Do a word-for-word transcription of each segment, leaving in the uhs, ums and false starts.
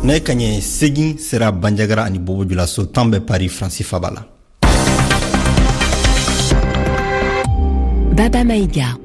Nɛgɛ kaɲɛ segin sera Banjagara ani Bobo Julaso, tan bɛ Paris, Faransi faba la. Baba Maïga.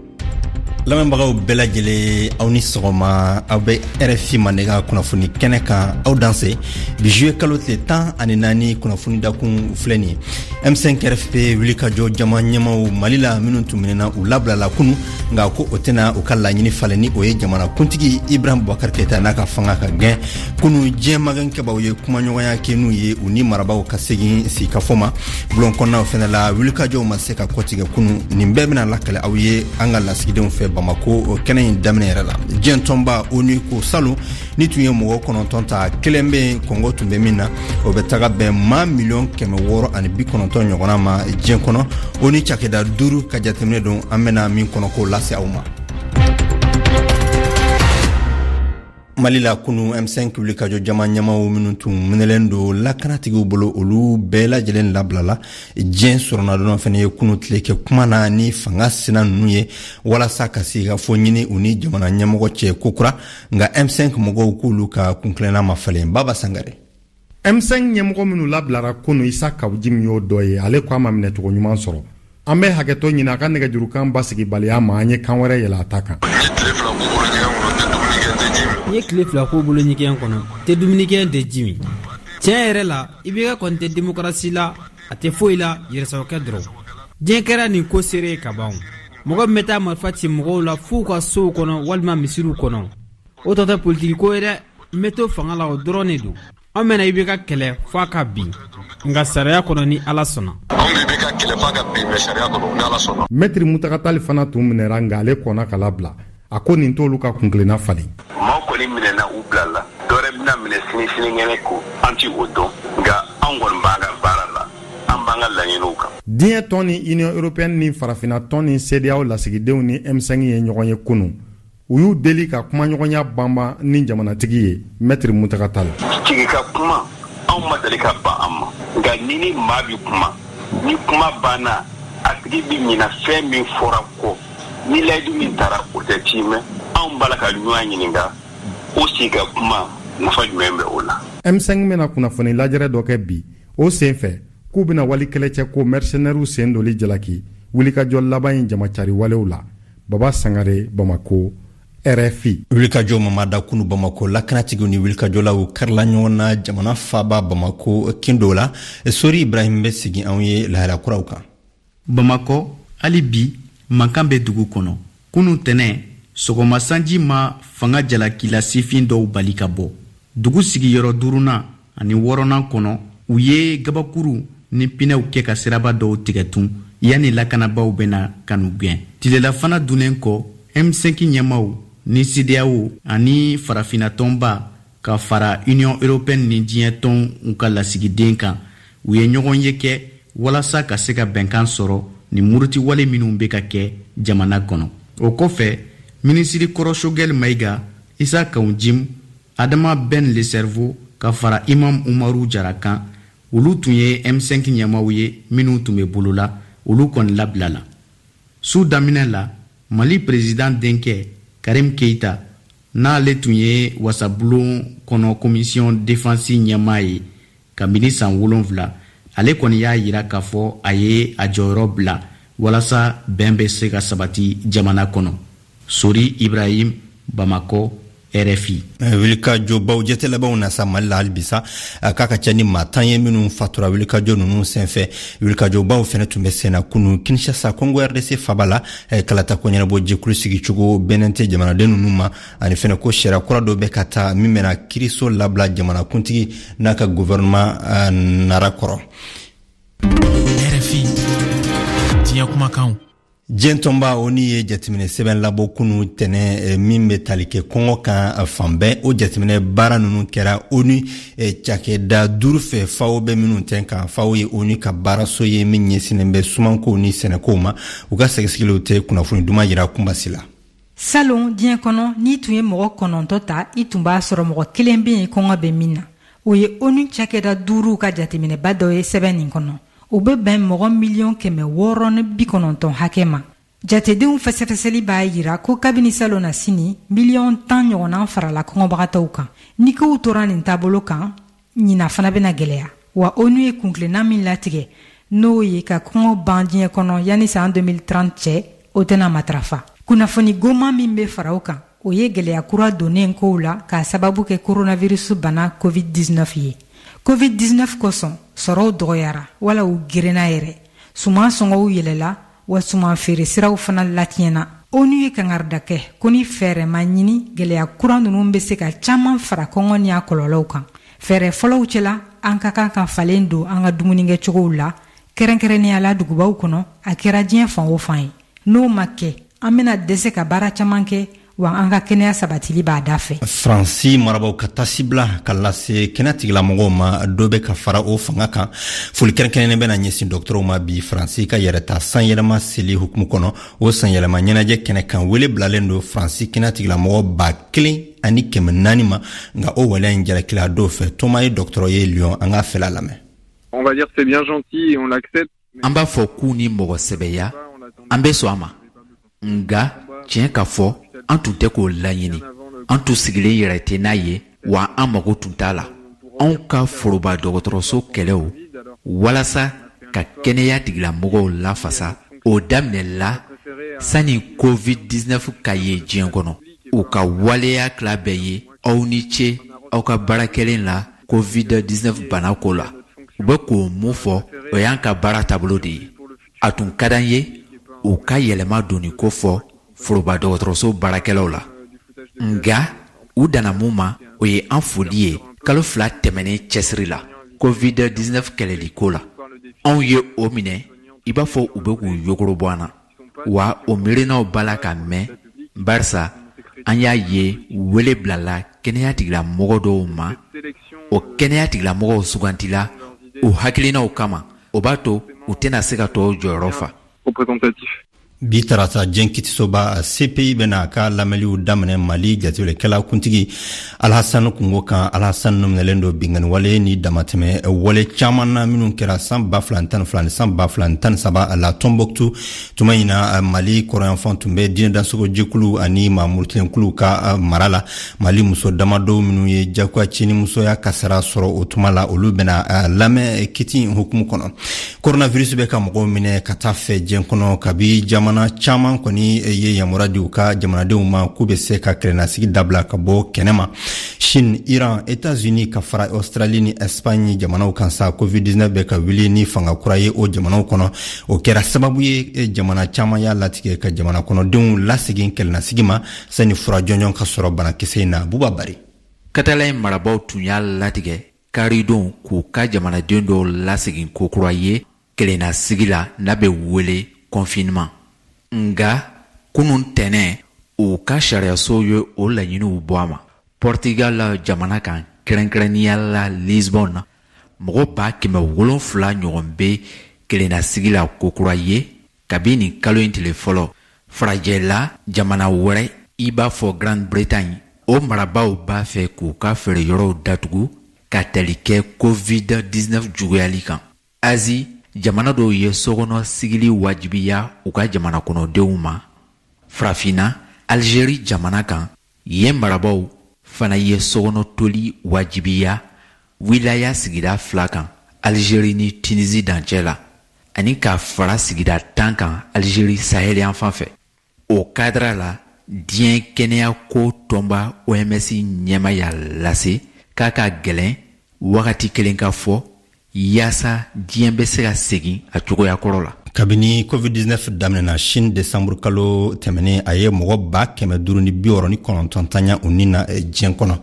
Lamɛnbagaw bɛɛ lajɛlen, aw ni sɔgɔma. Aw bɛ R F I Mandenkan kunnafoni kɛnɛ kan. Aw danse. Bi juillet kalo tile tan ani naani, kunnafoni dakun filɛ nin ye. M cinq R F P wulikajɔ jama ɲɛmaw Mali la minnu tun minɛna, u labilala kunu, nka ko o tɛna u ka laɲini falen, ni o ye jamana kuntigi Ibrahim Boubacar Keita n'a ka fanga ka gɛn. Kunu, diɲɛ magɛnkɛbaw ye kumaɲɔgɔnya kɛ n'u ye, u ni marabaw ka segin sigikafɔ ma. Bulon kɔnɔnaw fɛnɛ la, wulikajɔw ma se ka kɔtigɛ kunu. Nin bɛɛ bɛna lakale aw ye an ka lasigidenw fɛ Bamako kɛnɛ in daminɛ yɛrɛ la. Diɲɛ tɔnba ONU ko salon ni tun ye mɔgɔ kɔnɔntɔn ta, kelen bɛ yen kɔngɔ tun bɛ min na, o bɛ taga bɛn maa miliyɔn kɛmɛ wɔɔrɔ ani bi kɔnɔntɔn ɲɔgɔnna ma diɲɛ kɔnɔ. ONU cakɛda duuru ka jateminɛ don, an bɛna min kɔnɔ k'o lase aw ma. Mali la, kunu, M cinq wulikajɔ jama ɲɛmaw minnu tun minɛlen don lakanatigiw bolo, olu bɛɛ lajɛlen labilala. Diɲɛ sɔrɔnadɔn fɛnɛ ye kunu tile kɛ kuma na ni fanga sina ninnu ye, walasa ka sigikafɔ ɲini u ni jamana ɲɛmɔgɔ cɛ kokura. Nka M cinq mɔgɔw k'olu ka kuntilenna ma falen. Baba Sangare. M cinq ɲɛmɔgɔ minnu labilara kunu, Isa Kaw Jim y'o dɔ ye. Ale ko a ma minɛcogo ɲuman sɔrɔ. An bɛ hakɛtɔ ɲini a ka nɛgɛjurukan basigibaliya ma, an ye kan wɛrɛ yɛlɛ a ta kan. N ye tile fila k'u bolo ɲɛgɛn kɔnɔ, tɛ dumuni kɛ, tɛ ji min. Tiɲɛ yɛrɛ la, I B K kɔni tɛ demokarasi la, a tɛ foyi la, yɛrɛsagokɛ dɔrɔn. Diɲɛ kɛra nin ko seere ye ka ban. Mɔgɔ min bɛ taa marifa ci mɔgɔw la f'u ka sow kɔnɔ walima misiriw kɔnɔ, o tɔ tɛ politiki ko ye dɛ. N bɛ to fanga la, o dɔrɔn de don. An bɛna I B K kɛlɛ f'a ka bin, nka sariya kɔnɔ, ni Ala sɔnna. Anw bɛ I B K kɛlɛ f'a ka bin, mais sariya kɔnɔ, ni Ala sɔnna. Mɛtiri Mutaga Tali fana tun minɛra, nka ale kɔnna ka labila. A ko nin t'olu ka kuntilenna falen. Maaw kɔni minɛna, u bilala. Dɔwɛrɛ bɛna minɛ sini, sinikɛnɛ, ko an ti o dɔn, nka anw kɔni b'an ka baara la, an b'an ka laɲiniw kan. Diɲɛ tɔn ni Union européenne ni farafinna tɔn ni CEDEAO lasigidenw ni M cinq ye ɲɔgɔn ye kunu. U y'u deli ka kumaɲɔgɔnya banban ni jamanatigi ye. Mɛtiri Mutaga Tali. Sigi ka kuma, anw ma deli ka ban an ma, nka ni ni maa bi kuma, ni kuma banna, a tigi bi ɲina fɛn min fɔra kɔ, ni layidu min taara, o tɛ tiimɛ. Anw b'a la ka ɲɔgɔn ɲininka, o sigi ka kuma, nafa jumɛn bɛ o la? M cinq bɛna kunnafoni lajɛrɛ dɔ kɛ bi. O sen fɛ, k'u bɛna wali kɛlɛcɛ ko mercenaires sen doli jalaki wulikajɔ laban in jamacari walew la. Baba Sangare, Bamako, R F I. Wulikajɔ mamada kunu Bamako, lakanatigiw ni wulikajɔlaw karila ɲɔgɔn na jamana faba Bamako kindo la. Sori Ibrahim bɛ segin anw ye lahala kuraw kan. Bamakɔ, hali bi mankan bɛ dugu kɔnɔ. Kunu tɛnɛ sɔgɔma, sanji ma fanga jalakila sifin dɔw bali ka bɔ dugu sigiyɔrɔ duurunan ani wɔɔrɔnan kɔnɔ. U ye gabakuru ni pinɛw kɛ ka siraba dɔw tigɛ tun yanni lakanabaw bɛna ka n'u gɛn. Tilelafana dunnen kɔ, M cinq ɲɛmaw ni CEDEAO ani farafinna tɔnba ka fara Union européenne ni diɲɛ tɔnw ka lasigiden kan, u ye ɲɔgɔn ye kɛ walasa ka se ka bɛnkan sɔrɔ ni murutiwale minw bɛ ka kɛ jamana kɔnɔ. O kɔfɛ, minisiri kɔrɔ Choguel Maïga, Isa Kaw Jim, Adama Ben Le Cerveau ka fara Imam Umaru Jara kan, olu tun ye M cinq ɲɛmaw ye minw tun bɛ bolo la, olu kɔni labilala. Su daminɛ la, Mali président denkɛ Karim Keita, n'ale tun ye wasabulon kɔnɔ commission défense ɲɛmaa ye kabini san wolonfila, ale kɔni y'a yira k'a fɔ a ye a jɔyɔrɔ bila walasa bɛn bɛ se ka sabati jamana kɔnɔ. Sori Ibrahim, Bamakɔ, R F I. Wulikajɔbaw jɛtɛlabanw na sa Mali la halibisa, k'a ka ca ni maa tan ye minnu fatura wulikajɔ ninnu senfɛ. Wulikajɔbaw fɛnɛ tun bɛ senna kunu Kinshasa, Congo R D C faba la. Kalata ko ɲɛnabɔ jɛkulu sigicogo bɛnnen tɛ jamanaden ninnu ma, ani fɛnɛ ko sariya kura dɔ bɛ ka taa min bɛna kiriso labila jamanakuntigi n'a ka gouvernement nara kɔrɔ. R F I, diɲɛ kumakanw. Diɲɛ tɔnba ONU ye jateminɛ sɛbɛn labɔ kunu tɛnɛ min bɛ tali kɛ kɔngɔ kan fan bɛɛ. O jateminɛ baara ninnu kɛra ONU cakɛda duuru fɛ, FAO bɛ minnu tɛn kan. FAO ye ONU ka baaraso ye min ɲɛsinnen bɛ sumankow ni sɛnɛkow ma. U ka sɛgɛsɛgɛliw tɛ kunnafoni duman yira kunbasi la. Salon, diɲɛ kɔnɔ, n'i tun ye mɔgɔ kɔnɔntɔ ta, i tun b'a sɔrɔ mɔgɔ kelen bɛ yen kɔngɔ bɛ min na. O ye ONU cakɛda duuru ka jateminɛba dɔ ye sɛbɛn nin kɔnɔ. O bɛ bɛn mɔgɔ miliyɔn kɛmɛ wɔɔrɔ ni bi kɔnɔntɔn hakɛ ma. Jatedenw fɛsɛfɛsɛli b'a yira ko kabini salon na sini, miliyɔn tan ɲɔgɔnna farala kɔngɔbagatɔw kan. Ni kow tora nin taabolo kan, ɲina fana bɛna gɛlɛya. Wa ONU ye kuntilenna min latigɛ, n'o ye ka kɔngɔ ban diɲɛ kɔnɔ yanni san deux mille trente cɛ, o tɛna matarafa. Kunnafoni goman min bɛ fara o kan, o ye gɛlɛya kura donnen kow la k'a sababu kɛ coronavirus bana covid dix-neuf ye. covid dix-neuf kosɔn, sɔrɔw dɔgɔyara wala u gerenna yɛrɛ, suman sɔngɔw yɛlɛla, wa suman feere siraw fana latiɲɛna. ONU ye kangarida kɛ ko ni fɛɛrɛ ma ɲini, gɛlɛya kura ninnu bɛ se ka caaman fara kɔngɔ ni a kɔlɔlɔw kan. Fɛɛrɛ fɔlɔw cɛla, an ka kan ka falen don an ka dumunikɛcogow la, kɛrɛnkɛrɛnnenya la dugubaw kɔnɔ, a kɛra diɲɛ fan o fan ye. N'o ma kɛ, an bɛna dɛsɛ ka baara caman kɛ, wa an ka kɛnɛya sabatili b'a da fɛ. Faransi marabaw ka tasibila ka lase kɛnɛ tigilamɔgɔw ma, dɔ bɛ ka fara o fanga kan. Foli kɛrɛnkɛrɛnnen bɛna ɲɛsin dɔgɔtɔrɔw ma bi, Faransi ka yɛrɛta sanyɛlɛma seli hukumu kɔnɔ. O sanyɛlɛma ɲɛnajɛ kɛnɛ kan, wele bilalen don Faransi kɛnɛ tigilamɔgɔ ba kelen ani kɛmɛ naani ma, nka o waleya in jalakila dɔw fɛ. Toma ye dɔgɔtɔrɔ ye Lyon, an k'a fɛla lamɛn. On va dire c'est bien gentil et on l'accepte. An b'a fɔ k'u ni mɔgɔ sɛbɛya, an bɛ sɔn a ma, nga tiɲɛ ka fɔ, an tun tɛ k'o laɲini, an tun sigilen yɛrɛ tɛ n'a ye, wa an mago tun t'a la. Anw ka foroba dɔgɔtɔrɔso kɛlɛw walasa ka kɛnɛya tigilamɔgɔw lafasa, o daminɛla sanni covid dix-neuf ka ye diɲɛ kɔnɔ. U ka waleya tila bɛɛ ye aw ni ce aw ka baara kɛlen la covid dix-neuf bana ko la. U bɛ k'o mun fɔ, o y'an ka baara taabolo de ye. A tun ka d'an ye u ka yɛlɛma donni ko fɔ foroba dɔgɔtɔrɔso baarakɛlaw la, nga u danna mun ma, o ye an foli ye kalo fila tɛmɛnen cɛsiri la covid dix-neuf kɛlɛli ko la. Anw ye o minɛ i b'a fɔ u bɛ k'u yogoro bɔ an na, wa o miirinaw b'a la ka mɛn, barisa an y'a ye wele bilala kɛnɛya tigilamɔgɔ dɔw ma. O kɛnɛya tigilamɔgɔw sugantila u hakilinaw kama, o b'a to u tɛna se ka tɔw jɔyɔrɔ fa. Bi tarata, diɲɛ kitisoba C P I bɛna a ka lamɛnliw daminɛ Mali jateminɛkɛla kuntigi Alhasan kungo kan. Alhasan minɛlen don binkanni ni damatɛmɛ wale caman na minnu kɛra san ba fila tan fila ni san ba fila tan saba la Tɔnbɔkutu. Tuma in na, Mali kɔrɔyanfan tun bɛ diinɛ dansogo jɛkulu ani maa murutilenkuluw ka mara la. Mali muso damadɔw minnu ye jagoya cɛnimusoya kasara sɔrɔ o tuma la, olu bɛna lamɛn kiti in hukumu kɔnɔ. Coronavirus bɛ ka mɔgɔw minɛ ka taa fɛ diɲɛ kɔnɔ, kabi jamana caman kɔni ye yamaruya di u ka jamanadenw ma k'u bɛ se ka kɛlɛnasigi dabila ka bɔ kɛnɛma. Chine, Iran, États-Unis ka fara Australie ni Espagne jamanaw kan sa, covid dix-neuf bɛ ka wuli ni fanga kura ye o jamanaw kɔnɔ. O kɛra sababu ye jamana caman y'a latigɛ ka jamana kɔnɔdenw lasegin kɛlɛnasigi ma sani fura jɔnjɔn ka sɔrɔ banakisɛ in na. Buba Bari. Katala marabaw tun y'a latigɛ karidon k'u ka jamanaden dɔw lasegin kokura ye kelennasigi la n'a bɛ wele confinement. Nga kunun tɛnɛ, u ka sariyaso ye o laɲiniw bɔ a ma. Portugal jamana kan, kɛrɛnkɛrɛnnenya la Lisbonne na, mɔgɔ ba kɛmɛ wolonfila ɲɔgɔn bɛ kelennasigi la kokura ye kabi nin kalo in tile fɔlɔ. Farajɛla jamana wɛrɛ i b'a fɔ Grande Bretagne, o marabaaw b'a fɛ k'u ka feereyɔrɔw datugu ka tali kɛ covid dix-neuf juguyali kan. Azi jamana dɔw ye sokɔnɔ sigili wajibiya u ka jamana kɔnɔdenw ma. Farafinna, Algérie jamana kan, yen marabaaw fana ye sokɔnɔ toli wajibiya wilaya sigida fila kan Algérie ni Tunisie dancɛ la, ani ka fara sigida tan kan Algérie sahel yan fan fɛ. O kadira la, diɲɛ kɛnɛyako tɔnba O M S ɲɛma y'a lase k'a ka gwɛlɛn wagati kelen ka fɔ yaasa diɲɛ bɛ se ka segin a cogoya kɔrɔ la. Kabini covid dix-neuf daminɛna Chine desanburu kalo tɛmɛnen, a ye mɔgɔ ba kɛmɛ duuru ni bi wɔɔrɔ ni kɔnɔntɔn taɲa u ni na diɲɛ kɔnɔ.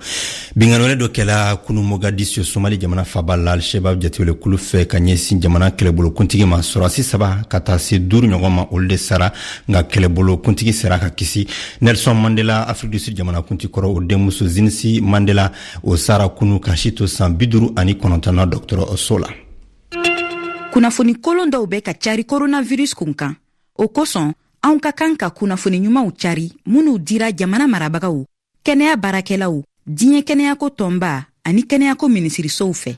Binkanni dɔ kɛla kunu Mogadisio, Somali jamana faba la, Alshebab jatewelekulu fɛ ka ɲɛsin jamana kɛlɛbolo kuntigi ma. Sɔrɔdasi saba ka taa se duuru ɲɔgɔn ma, olu de sara, nka kɛlɛbolo kuntigi sera ka kisi. Nelson Mandela, Afrique du Sud jamana kunti kɔrɔ, o denmuso Zinisi Mandela, o sara kunu ka si to san bi duuru ani kɔnɔntɔn na dɔgɔtɔrɔso la. Kunnafoni kolon dɔw bɛ ka cari coronavirus kun kan. O kosɔn, anw ka kan ka kunnafoni ɲumanw cari minnu dira jamana marabagaw, kɛnɛya baarakɛlaw, diɲɛ kɛnɛyako tɔnba ani kɛnɛyako minisirisow fɛ.